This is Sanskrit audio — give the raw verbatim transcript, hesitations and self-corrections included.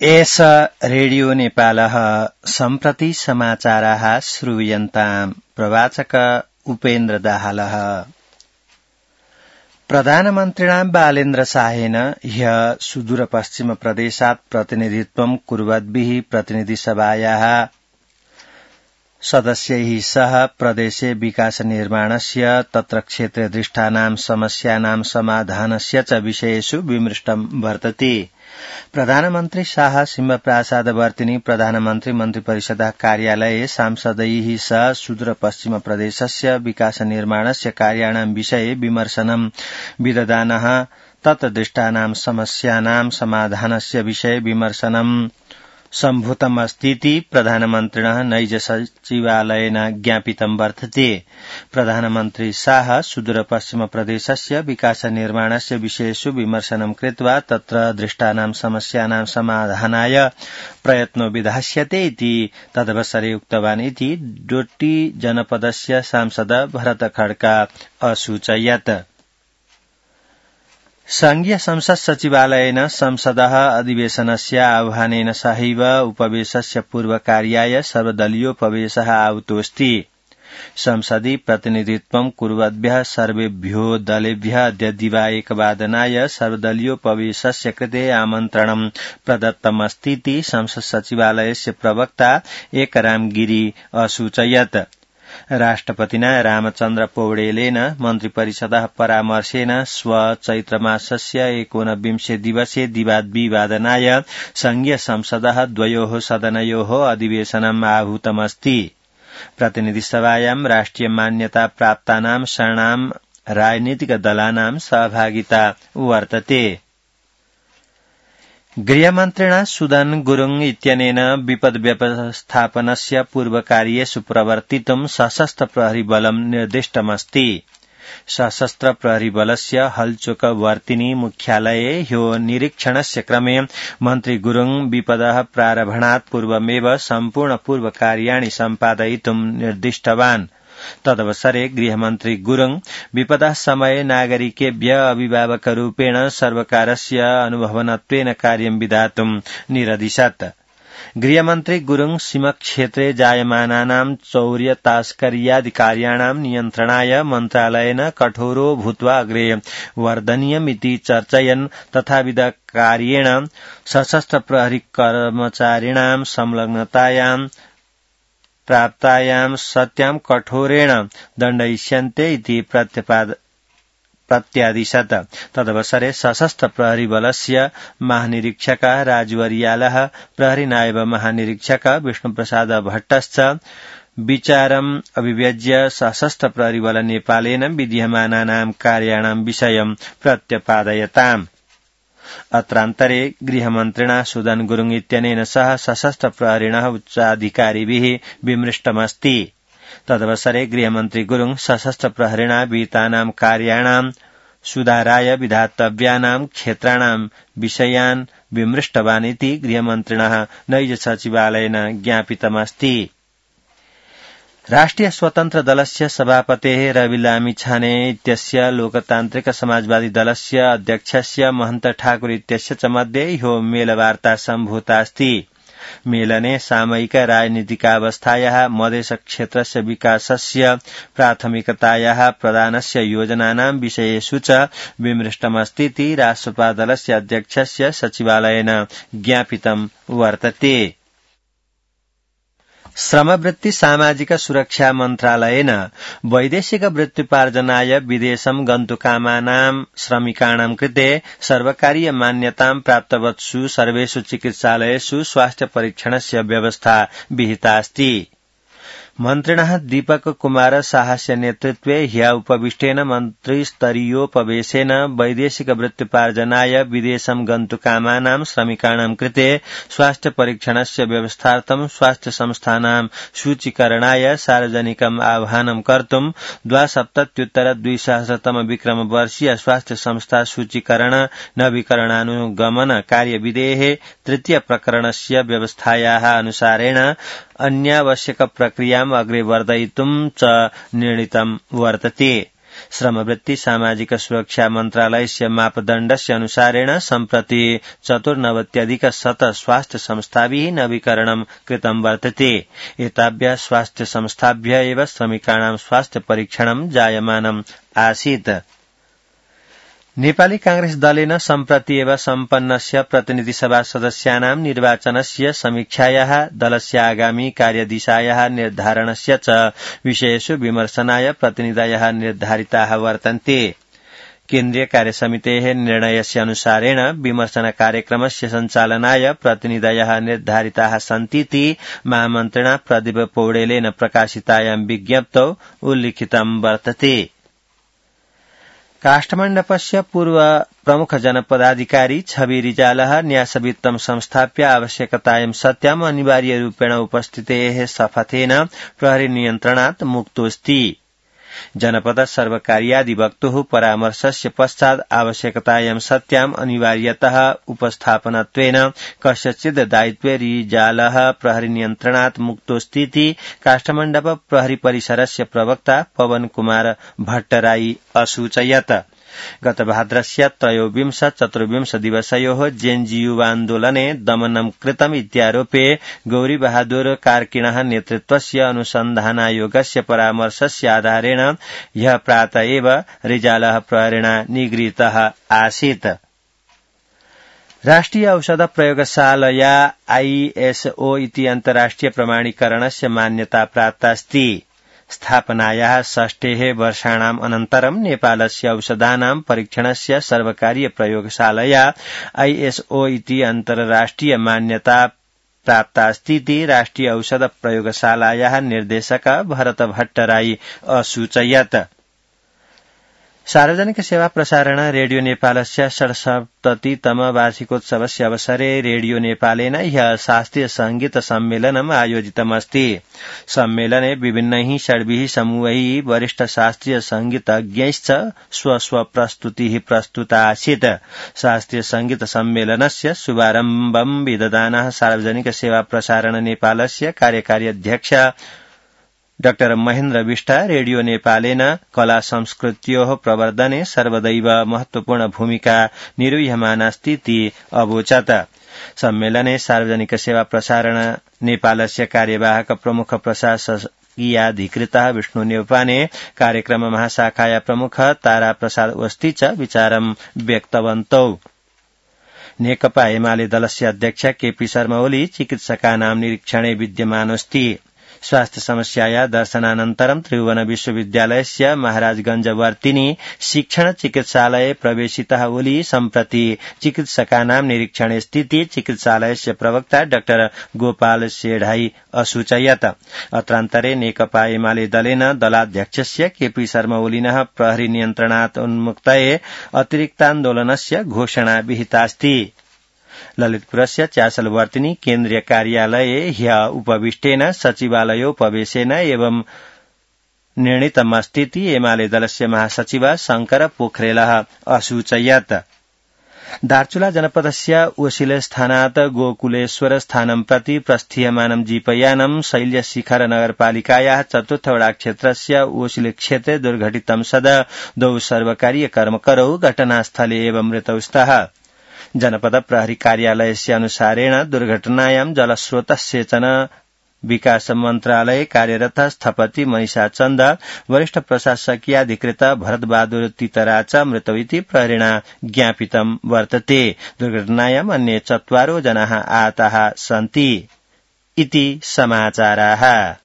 एष रेडियो नेपालः सम्प्रति समाचाराः श्रूयन्ताम् प्रवाचक उपेन्द्र दाहालः। प्रधानमन्त्रिणा बालेन्द्र शाहेन ह्यः सुदूरपश्चिम प्रदेशात् प्रतिनिधित्वं कुर्वद्भिः प्रतिनिधिसभायाः सदस्यैः सह प्रदेशे विकासनिर्माणस्य तत्र क्षेत्रे दृष्टानां समस्यानां समाधानस्य च विषयेषु विमृष्टं वर्तते। प्रधानमन्त्री शाह सिंहप्रासादवर्तिनी प्रधानमन्त्री मन्त्रिपरिषदः कार्यालये सांसदैः सह सुदूरपश्चिम प्रदेशस्य विकासनिर्माणस्य कार्याणां विषये विमर्शनं विदधानः तत् दृष्टानां समस्यानां समाधानस्य विषये विमर्शनं सम्भूतमस्तीति प्रधानमन्त्रिणः नैज सचिवालयेन ज्ञापितं वर्तते। प्रधानमन्त्री शाह सुदूरपश्चिम प्रदेशस्य विकासनिर्माणस्य विषयेषु विमर्शनं कृत्वा तत्र दृष्टानां समस्यानां समाधानाय प्रयत्नो विधास्यते इति तदवसरे उक्तवान् इति डोटी जनपदस्य सांसद भरत खड्का असूचयत्। संघीय संसद सचिवालयेन संसदः अधिवेशनस्य आह्वानेन सहैव उपवेशस्य पूर्वकार्याय सर्वदलीयोपवेशः आहुतोऽस्ति। संसदि प्रतिनिधित्वं कुर्वद्भ्यः सर्वेभ्यो दलेभ्यः अद्य दिवा एकवादनाय सर्वदलीयोपवेशस्य कृते आमन्त्रणं प्रदत्तमस्तीति संसद सचिवालयस्य प्रवक्ता एकराम गिरी असूचयत्। राष्ट्रपतिना रामचन्द्र पौडेलेन मन्त्रिपरिषदः परामर्शेन श्व चैत्रमासस्य एकोनविंशे दिवसे दिवाद्विवादनाय संघीय संसदः द्वयोः सदनयोः अधिवेशनम् आहूतमस्ति। प्रतिनिधिसभायां राष्ट्रिय मान्यता प्राप्तानां षण्णां राजनीतिकदलानां सहभागिता वर्तते। गृहमन्त्रिणा सुदन गुरुङ इत्यनेन विपद व्यवस्थापनस्य पूर्वकार्येषु प्रवर्तितुं सशस्त्र प्रहरी बलं निर्दिष्टमस्ति। सशस्त्र प्रहरी बलस्य हलचोक वर्तिनी मुख्यालये ह्यो निरीक्षणस्य क्रमे मन्त्री गुरुङ विपदः प्रारभणात् पूर्वमेव सम्पूर्ण पूर्वकार्याणि सम्पादयितुं निर्दिष्टवान्। तदवसरे गृहमन्त्री गुरुङ विपदः समये नागरिकेभ्य अभिभावकरूपेण सर्वकारस्य अनुभवनत्वेन कार्यं विधातुं निरदिशत्। गृहमन्त्री गुरुङ सीमाक्षेत्रे जायमानानां चौर्य तस्कर्यादि कार्याणां नियन्त्रणाय मन्त्रालयेन कठोरो भूत्वा अग्रे वर्धनीयमिति चर्चयन् तथाविध कार्येण सशस्त्र प्रहरी कर्मचारिणां संलग्नतायां प्राप्तायां सत्यां कठोरेण दण्डयिष्यन्ते इति प्रत्यादिशत्। तदवसरे सशस्त्र प्रहरी बलस्य महानिरीक्षकः राजवर्यालः प्रहरी नायब महानिरीक्षक विष्णुप्रसाद भट्टश्च विचारम् अभिव्यज्य सशस्त्र प्रहरी बल नेपालेन विद्यमानानां कार्याणां विषयं प्रत्यपादयताम्। अत्रान्तरे गृहमन्त्रिणा सुदन गुरुङ इत्यनेन सह सशस्त्र प्रहरिणः उच्चाधिकारिभिः विमृष्टमस्ति। तदवसरे गृहमन्त्री गुरुङ सशस्त्र प्रहरिणा विहितानां कार्याणां सुधाराय विधातव्यानां क्षेत्राणां विषयान् विमृष्टवान् इति गृहमन्त्रिणः नैज सचिवालयेन ज्ञापितमस्ति। राष्ट्रिय स्वतन्त्र दलस्य सभापतेः रवि लामिछाने इत्यस्य लोकतान्त्रिक समाजवादी दलस्य अध्यक्षस्य महन्त ठाकुर इत्यस्य च मध्ये ह्यो मेलवार्ता सम्भूतास्ति। मेलने सामयिक राजनीतिकावस्थायाः मधेश क्षेत्रस्य विकासस्य प्राथमिकतायाः प्रदानस्य योजनानां विषयेषु च विमृष्टमस्तीति राष्ट्रपा दलस्य अध्यक्षस्य सचिवालयेन ज्ञापितं वर्तते। श्रमवृत्ति सामाजिक सुरक्षा मन्त्रालयेन वैदेशिक वृत्त्युपार्जनाय विदेशं गन्तुकामानां श्रमिकाणां कृते सर्वकारीय मान्यतां प्राप्तवत्सु सर्वेषु चिकित्सालयेषु स्वास्थ्य परीक्षणस्य व्यवस्था विहिता अस्ति। मन्त्रिणः दीपक कुमार साहस्य नेतृत्वे ह्यः उपविष्टेन मन्त्रिस्तरीयोपवेशेन वैदेशिक वृत्त्युपार्जनाय विदेशं गन्तुकामानां श्रमिकाणां कृते स्वास्थ्य परीक्षणस्य व्यवस्थार्थं स्वास्थ्य संस्थानां सूचीकरणाय सार्वजनिकम् आह्वानं कर्तुं द्वासप्तत्युत्तर द्विसहस्रतम विक्रमवर्षीय स्वास्थ्य संस्था सूचीकरण नवीकरणानुगमन कार्यविधेः तृतीय प्रकरणस्य व्यवस्थायाः अनुसारेण अन्यावश्यक प्रक्रियाम् अग्रे वर्धयितुं च निर्णीतं वर्तते। श्रमवृत्ति सामाजिक सुरक्षा मन्त्रालयस्य मापदण्डस्य अनुसारेण सम्प्रति चतुर्नवत्यधिक शत स्वास्थ्य संस्थाभिः नवीकरणं कृतं वर्तते। एताभ्यः स्वास्थ्य संस्थाभ्य एव श्रमिकाणां स्वास्थ्य परीक्षणं जायमानम् आसीत्। नेपाली कांग्रेस दलेन सम्प्रति एव सम्पन्नस्य प्रतिनिधि सभा सदस्यानां निर्वाचनस्य समीक्षायाः दलस्य आगामी कार्यदिशायाः निर्धारणस्य च विषयेषु विमर्शनाय प्रतिनिधयः निर्धारिताः वर्तन्ते। केन्द्रीय कार्यसमितेः निर्णयस्य अनुसारेण विमर्शन कार्यक्रमस्य सञ्चालनाय प्रतिनिधयः निर्धारिताः सन्तीति महामन्त्रिणा प्रदीप पौडेलेन प्रकाशितायां विज्ञप्तौ उल्लिखितं वर्तते। काष्ठमण्डपस्य पूर्व प्रमुख जनपदाधिकारी छवि रिजालः न्यासवित्तं संस्थाप्य आवश्यकतायां सत्याम् अनिवार्यरूपेण उपस्थितेः शपथेन प्रहरी नियन्त्रणात् मुक्तोऽस्ति। जनपद सर्वकार्याधिवक्तुः परामर्शस्य पश्चात् आवश्यकतायां सत्याम् अनिवार्यतः उपस्थापनत्वेन कस्यचिद् दायित्वे रिजालः प्रहरी नियन्त्रणात् मुक्तोऽस्तीति काष्ठमण्डप प्रहरी परिसरस्य प्रवक्ता पवन कुमार भट्टराई असूचयत्। गत भाद्रस्य त्रयोविंश चतुर्विंश दिवसयोः जेएनजी युवान्दोलने दमनं कृतम् इत्यारोपे गौरी बहादुर कार्किणः नेतृत्वस्य अनुसन्धानायोगस्य परामर्शस्य आधारेण ह्यः प्रातः एव रिजालः प्रहरेण निगृहीतः आसीत्। राष्ट्रिय औषध प्रयोगशालया आईएसओ इति अन्तर्राष्ट्रिय प्रमाणीकरणस्य मान्यता प्राप्तास्ति। स्थापनायाः षष्ठेः वर्षाणाम् अनन्तरं नेपालस्य औषधानां परीक्षणस्य सर्वकारीय प्रयोगशालया आईएसओ इति अन्तर्राष्ट्रिय मान्यता प्राप्तास्तीति राष्ट्रिय औषध प्रयोगशालायाः निर्देशक भरत भट्टराई असूचयत्। सार्वजनिक सेवा प्रसारण रेडियो नेपालस्य षड्सप्ततितम वार्षिकोत्सवस्य अवसरे रेडियो नेपालेन ह्यः शास्त्रीय संगीत सम्मेलनम् आयोजितमस्ति। सम्मेलने विभिन्नैः षड्भिः समूहैः वरिष्ठ शास्त्रीय संगीतज्ञैश्च स्वस्व प्रस्तुतिः प्रस्तुता आसीत्। शास्त्रीय संगीत सम्मेलनस्य शुभारम्भं विदधानः सार्वजनिक सेवा प्रसारण नेपालस्य कार्यकारी अध्यक्ष डाक्टर महेन्द्र विष्ट रेडियो नेपालेन कला संस्कृत्योः प्रवर्धने सर्वदैव महत्वपूर्ण भूमिका निर्वह्यमानास्तीति अवोचत्। सम्मेलने सार्वजनिक सेवा प्रसारण नेपालस्य कार्यवाहक प्रमुख प्रशासकीयाधिकृतः विष्णु नेउपाने कार्यक्रम महाशाखाया प्रमुख तारा प्रसाद ओस्ती च विचारं व्यक्तवन्तौ। नेकपा एमाले दलस्य अध्यक्ष केपी शर्मा ओली चिकित्सकानां निरीक्षणे विद्यमानोऽस्ति। स्वास्थ्य समस्याया दर्शनानन्तरं त्रिभुवन विश्वविद्यालयस्य महाराजगंजवर्तिनी शिक्षण चिकित्सालये प्रवेशितः ओली सम्प्रति चिकित्सकानां निरीक्षणे स्थिति चिकित्सालयस्य प्रवक्ता डाक्टर गोपाल सेढाई असूचयत्। अत्रान्तरे नेकपा एमाले दलेन दलाध्यक्षस्य केपी शर्मा ओलिनः प्रहरी नियन्त्रणात् उन्मुक्तये अतिरिक्तान्दोलनस्य घोषणा विहितास्ति। ललितपुरस्य चासलवर्तिनी केन्द्रीय कार्यालये ह्यः उपविष्टेन सचिवालयोपवेशेन एवं निर्णीतमस्तीति एमाले दलस्य महासचिव शंकर पोखरेलः असूचयत्। दार्चुला जनपदस्य ओसिले स्थानात् गोकुलेश्वर स्थानं प्रति प्रस्थीयमानं जीपयानं शैल्यशिखर नगरपालिकायाः चतुर्थ वडा क्षेत्रस्य ओसिले क्षेत्रे दुर्घटितं सदा द्वौ सर्वकारीय कर्मकरौ घटनास्थले एव मृतौ स्तः। जनपद प्रहरी कार्यालयस्य अनुसारेण दुर्घटनायां जलस्रोत सेचन विकास मन्त्रालये कार्यरत स्थपति मनीषा चन्द वरिष्ठ प्रशासकीयाधिकृत भरतबहादुर तितरा च मृतौ इति प्रहरेण ज्ञापितं वर्तते। दुर्घटनायाम् अन्ये चत्वारो जनाः आहताः सन्ति इति समाचाराः।